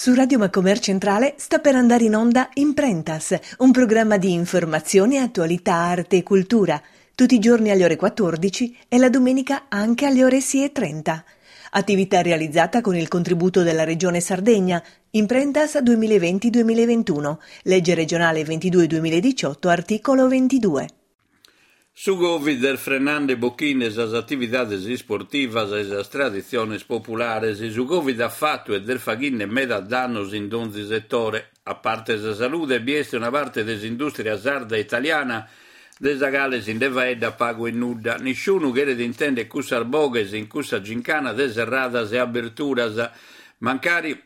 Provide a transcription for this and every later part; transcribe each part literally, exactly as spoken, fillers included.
Su Radio Macomer Centrale sta per andare in onda Imprentas, un programma di informazione, attualità, arte e cultura, tutti i giorni alle ore quattordici e la domenica anche alle ore sei e trenta. Attività realizzata con il contributo della Regione Sardegna, Imprentas duemilaventi duemilaventuno, legge regionale ventidue duemiladiciotto, articolo ventidue. Su Covid est frenande bochinde sas atividades isportivas e sas traditziones populares. Su Covid at fatu e est faghinde meda dannos in donzi setore. A parte sa salude, bi est una parte de s'industria sarda e italiana de sa cale si nde faeddat pagu e nudda. Nisciunu cheret intendere cussas boghes in cussa gincana de serradas e aberturas, mancari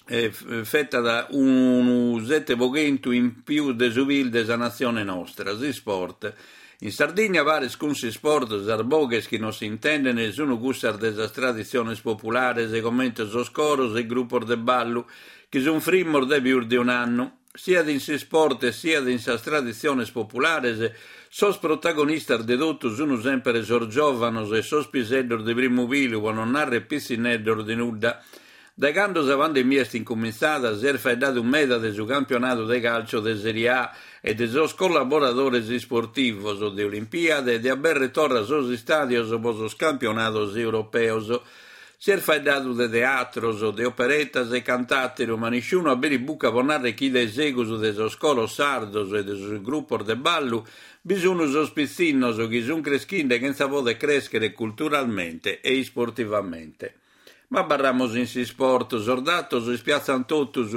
eh, fetat unu sette po chentu in pius de su P I L de sa natzione nostra, s'isport. In Sardigna paris cun s'isport sas boghes chi non si intendent sunt cussas de sas traditziones populares, comente sos coros e grupos de ballu, chi sunt frimmos dae pius de un'annu. Siat in s'isport e siat in sas traditziones populares, sos protagonistas de totu sunt sempre sos giòvanos e sos piseddos de primu pilu, pro non narrer pitzinneddos de nudda. Dae cando sa pandemia est incumintzada, si est faeddadu meda de su campionadu de calcio de Serie A e de sos collaboradores isportivos, de Olimpiade e de aberrer torra sos istàdios pro sos campionados europeos. Si est faeddadu de teatros, de operetas e cantàteru, ma nisciunu aberit buca pro narrer chi dae segus de sos coros sardos e de sos grupos de ballu bi sunt sos pitzinnos chi sunt creschinde chentza poder crèschere culturalmente e isportivamente. Ma abarramus in s'isport, sos datos ispiatzant totus,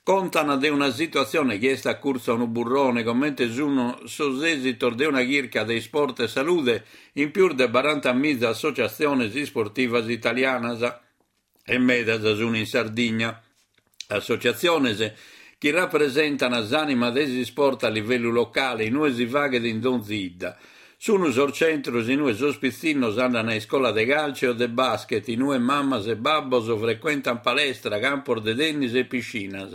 contan de una situatzione chi est a curtzu a unu burrone, comente sunt sos esitos de una chirca de Isport e Salude in pius de barantamiza associatziones isportivas italianas e medas sunt in Sardigna. Associatziones chi rappresentan s'anima de s'isport a livellu locale, inue si faghet in donzi 'idda. Sunt sos centros inue sos pitzinnos andan a iscola de calcio o de basket, inue mamas e babbos frecuentan palestra, campos de tennis e piscinas.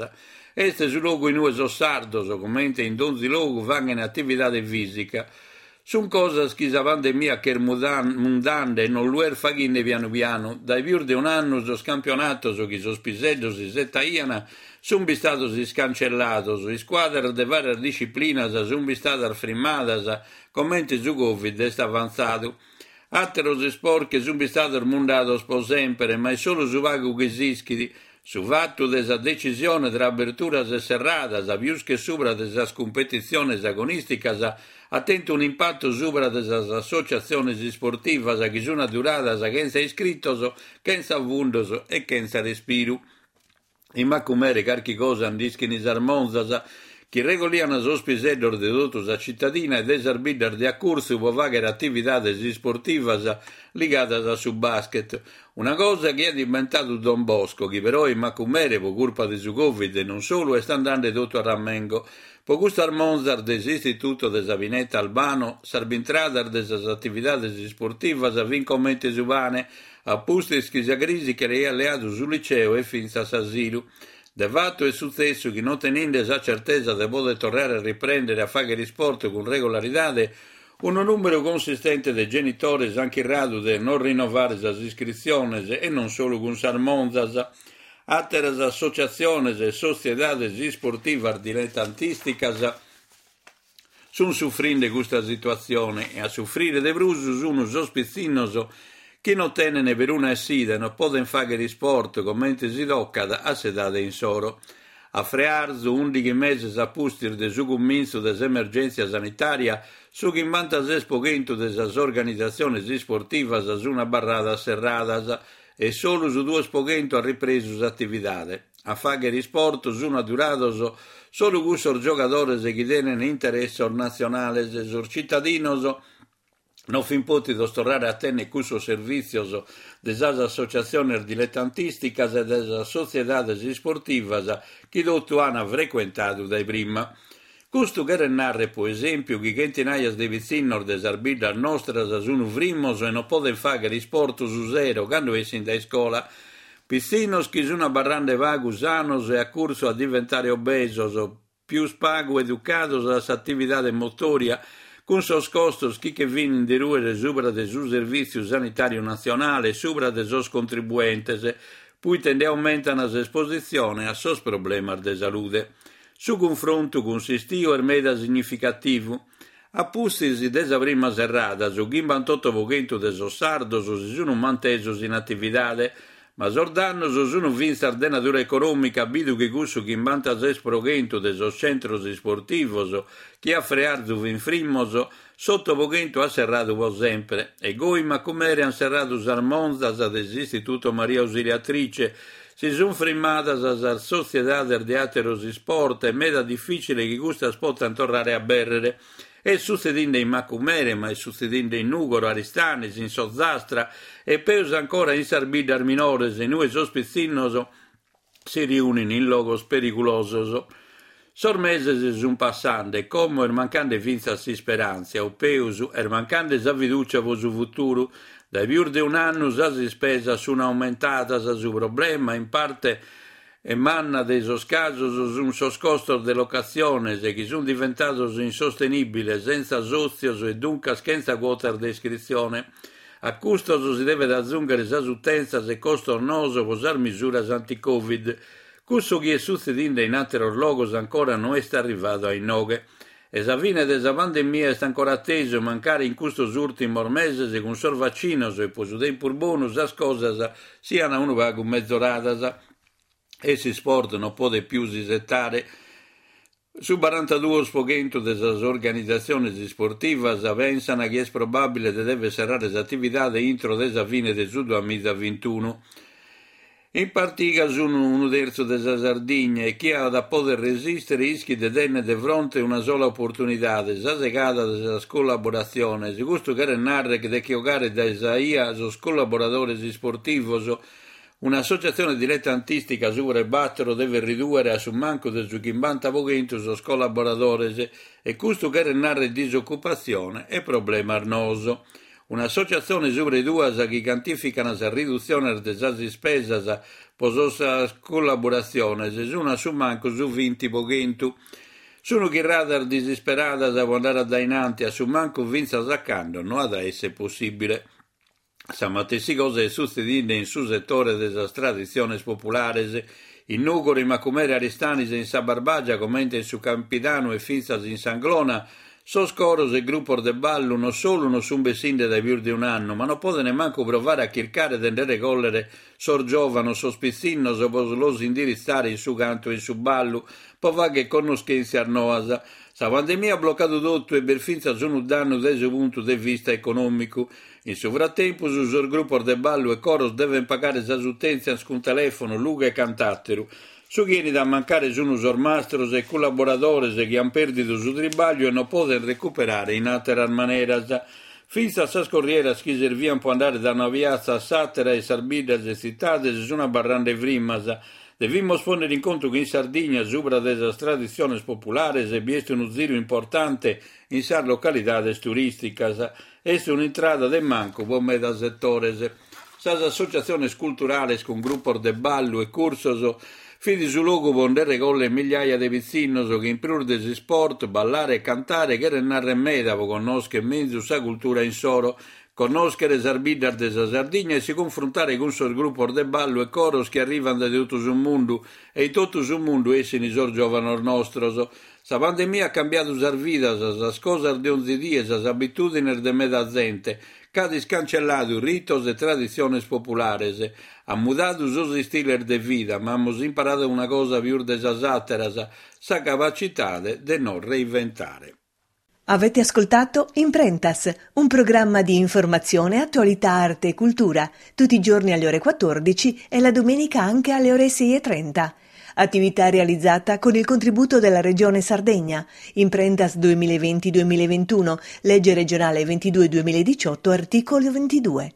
Est su logu inue sos sardos, comente in donzi logu, faghen atividade fisica. Sunt cosas chi sa pandemia ch'est mundande e non lu est faghinde pianu pianu. Dae pius de un'annu sos campionatos chi sos piseddos isettaian sunt bistados iscancellados, iscuadras de varias disciplinas sunt bistadas frimmadas, comente su Covid est avantzadu. Àteros isport che sunt bistados mundados pro sempre, ma est solu su pagu chi s'ischit. Su fattu de sa decisione tra aberturas e serradas, pius che subra de sas cumpetitziones agonisticas, at tentu un'impattu subra de sas associatziones isportivas chi sunt adduradas chentza iscritos, chentza fundos e chentza respiru. In Macumere carchi cosa nd'ischin sas monzas, chi regolian sos piseddos de totu sa cittadina e de sas biddas de accurtzu pro fagher atividades isportivas ligadas a su basket. Una cosa chi at inventadu Don Bosco, chi però in Macumere, pro curpa de su Covid e non solu, est andande totu a ramengo. Pro custas monzas de s'Istituto de sa Pineta Albano, sas bintradas de sas atividades isportivas fin comente su pane, a pustis chi sa crisi che l'aiat leadu su liceo e fintzas s'asilu. De fattu est sutzessu chi non teninde sa certesa de poder torrare a riprendere a fagher isport cun regolaridade, unu numeru consistente de genitores han chirradu de non rinnovare sas iscritziones e non solu cun sas monzas. Àteras associatziones e sotziedades isportivas diletantisticas sunt sufrinde custa situatzione e a sufrire de prus sunt sos pitzinnos chi non tenen peruna essida e non poden fagher isport comente si tocat a s'edade insoro. A frearzu, ùndighi meses a pustis de su cumintzu de s'emergèntzia sanitària, su chimbantases po chentu de sas organizatziones isportivas sunt abarradas serradas e solu su duos po chentu at ripresu s'atividade. A fagher isport sunt addurados solu cussos giogadores chi tenen interessos natzionales. Sos cittadinos non fin pòtidos torrare a tenner cussos servìtzios de sas associatziones diletantisticas e de sas sotziedades isportivas chi totu an frecuentadu dae prima. Custu cheret narrer, pro esèmpiu, chi chentinaias de pitzinnos de sas biddas nostras sunt frimmos e non poden fagher isport su sero cando essin dae iscola. Pitzinnos chi sunt abarrande pagu sanos e a curtzu a diventare obesos, pius pagu educados a s'atividade motòria, cun sos costos chi che finin de rùere subra de su Servìtziu Sanitàriu Natzionale e subra de sos contribuentes, Puite nde aumentan s'espositzione a sos problemas de salude. Su cunfrontu cun s'istiu est meda significativu. A pustis de sa prima serrada, su chimbantotto pro chentu de sos sardos si sunt mantesos in atividade, ma sos dannos sunt fintzas de natura econòmica, bidu chi cussu chimbantases pro chentu de sos tzentros isportivos chi a frearzu fin frimmos, s'otto pro chentu at serradu pro sempre. E goi in Macumere ant serradu sas monzas de s'Istituto Maria Ausiliatrice, si sunt frimmadas sas sotziedades de àteros isport e meda difìcile chi custas potant torrare a abèrrere. Est sutzedinde in Macumere, ma est sutzedinde in Nùgoro, Aristanis, in s'Ozastra e peus ancora in sas biddas minores, in ue sos pitzinnos si riunin in logos perigulosos. Sos meses sunt passande e como est mancande fintzas s'isperàntzia, o peus, est mancande sa fidùcia pro su futuru. Dae pius de un'annu sas ispesas sunt aumentadas, su problema, in parte manna de sos casos, sunt sos costos de locatziones chi sunt diventados insostenìbiles, sentza sòtzios e duncas chentza cuotas de iscritzione. A custos si devet azùnghere sas utèntzias e costos noos pro sas misuras anti-Covid. Cussu chi est sutzedinde in àteros logos ancora no est arrivadu a inoghe. E sa fine de sa pandemia est ancora atesu, mancari in custos ùrtimos meses cun sos vacinos e pro su tempus bonu sas cosas sian unu pagu mezoradas. E s'isport non podet pius isetare. Su barantaduos pro chentu de sas organizatziones isportivas pensan chi est probàbile de dever serrare s'atividade intro de sa fine de su duamiza vintunu. In partiga sunt unu tertzu de sa Sardigna e chie at a poder resistere ischit de tenner de fronte una sola oportunidade, sa segada de sas collaboratziones. Custu cheret narrer de che 'ogare dae sa 'ia sos collaboradores isportivos. Un'associatzione diletantistica subra 'e bàtoro devet ridùere a su mancu de su chimbanta pro chentu sos collaboradores e custu cheret narrer disocupatzione e problemas noos. Un'associatzione subra 'e duas chi cantifican sas ridutziones de sas ispesas pro sas collaboratziones sunt a su mancu su vinti pro chentu. Sunt chirradas disisperadas pro andare a dainanti, a su mancu fintzas a cando no at a esser possìbile. Sa matessi cosa est sutzedinde in su setore de sas traditziones populares. In Nùgoro, in Macumere, Aristanis e in sa Barbagia, comente in su Campidanu e fintzas in s'Anglona, sos coros e grupos de ballu non solu non sunt bessinde dae pius de un'annu, ma non poden mancu provare a chircare de nde regòllere sos giòvanos, sos pitzinnos, pro los indiritzare in su cantu e in su ballu, pro fagher connoschèntzias noas. Sa pandemia at blocadu totu e b'est fintzas unu dannu dae su puntu de vista econòmicu. In su fratempus, sos grupos de ballu e coros devent pagare sas utèntzias cun telèfono, lughe e cant'àteru. Su chi 'enit a mancare sunt sos mastros e collaboradores chi ant pèrdidu su tribagliu e non podent recuperare in àteras maneras. Fintzas sas corrieras chi serviant pro andare dae una piatza a s'àtera e sas biddas e tzitades sunt abarrande frimmas. Devimus pònnere in contu chi in Sardigna, subra de sas traditziones populares, bi est unu ziru importante in sas localidades turìsticas. Est un'intrada de mancu pro meda setores. Sas associatziones culturales cun grupos de ballu e cursos fit su logu pro nde regòllere migliaia de pitzinnos chi in prus de s'isport, ballare e cantare cheren narrer meda pro connòschere menzus sa cultura insoro, connòschere sas biddas de sa Sardigna e si cunfrontare cun sos grupos de ballu e coros chi arrivant dae totu su mundu e in totu su mundu essin sos giòvanos nostros. Sa pandemia at cambiadu sas vidas, sas cosas de onzi die, sas abitùdines de meda zente, ch'at iscancelladu ritos e traditziones populares, at mudadu sos istiles de vida, ma amus imparadu una cosa pius de sas àteras, sa capacitade de nos reinventare. Avete ascoltato Imprentas, un programma di informazione, attualità, arte e cultura, tutti i giorni alle ore quattordici e la domenica anche alle ore sei e trenta. Attività realizzata con il contributo della Regione Sardegna. Imprentas duemilaventi duemilaventuno, legge regionale ventidue duemiladiciotto, articolo ventidue.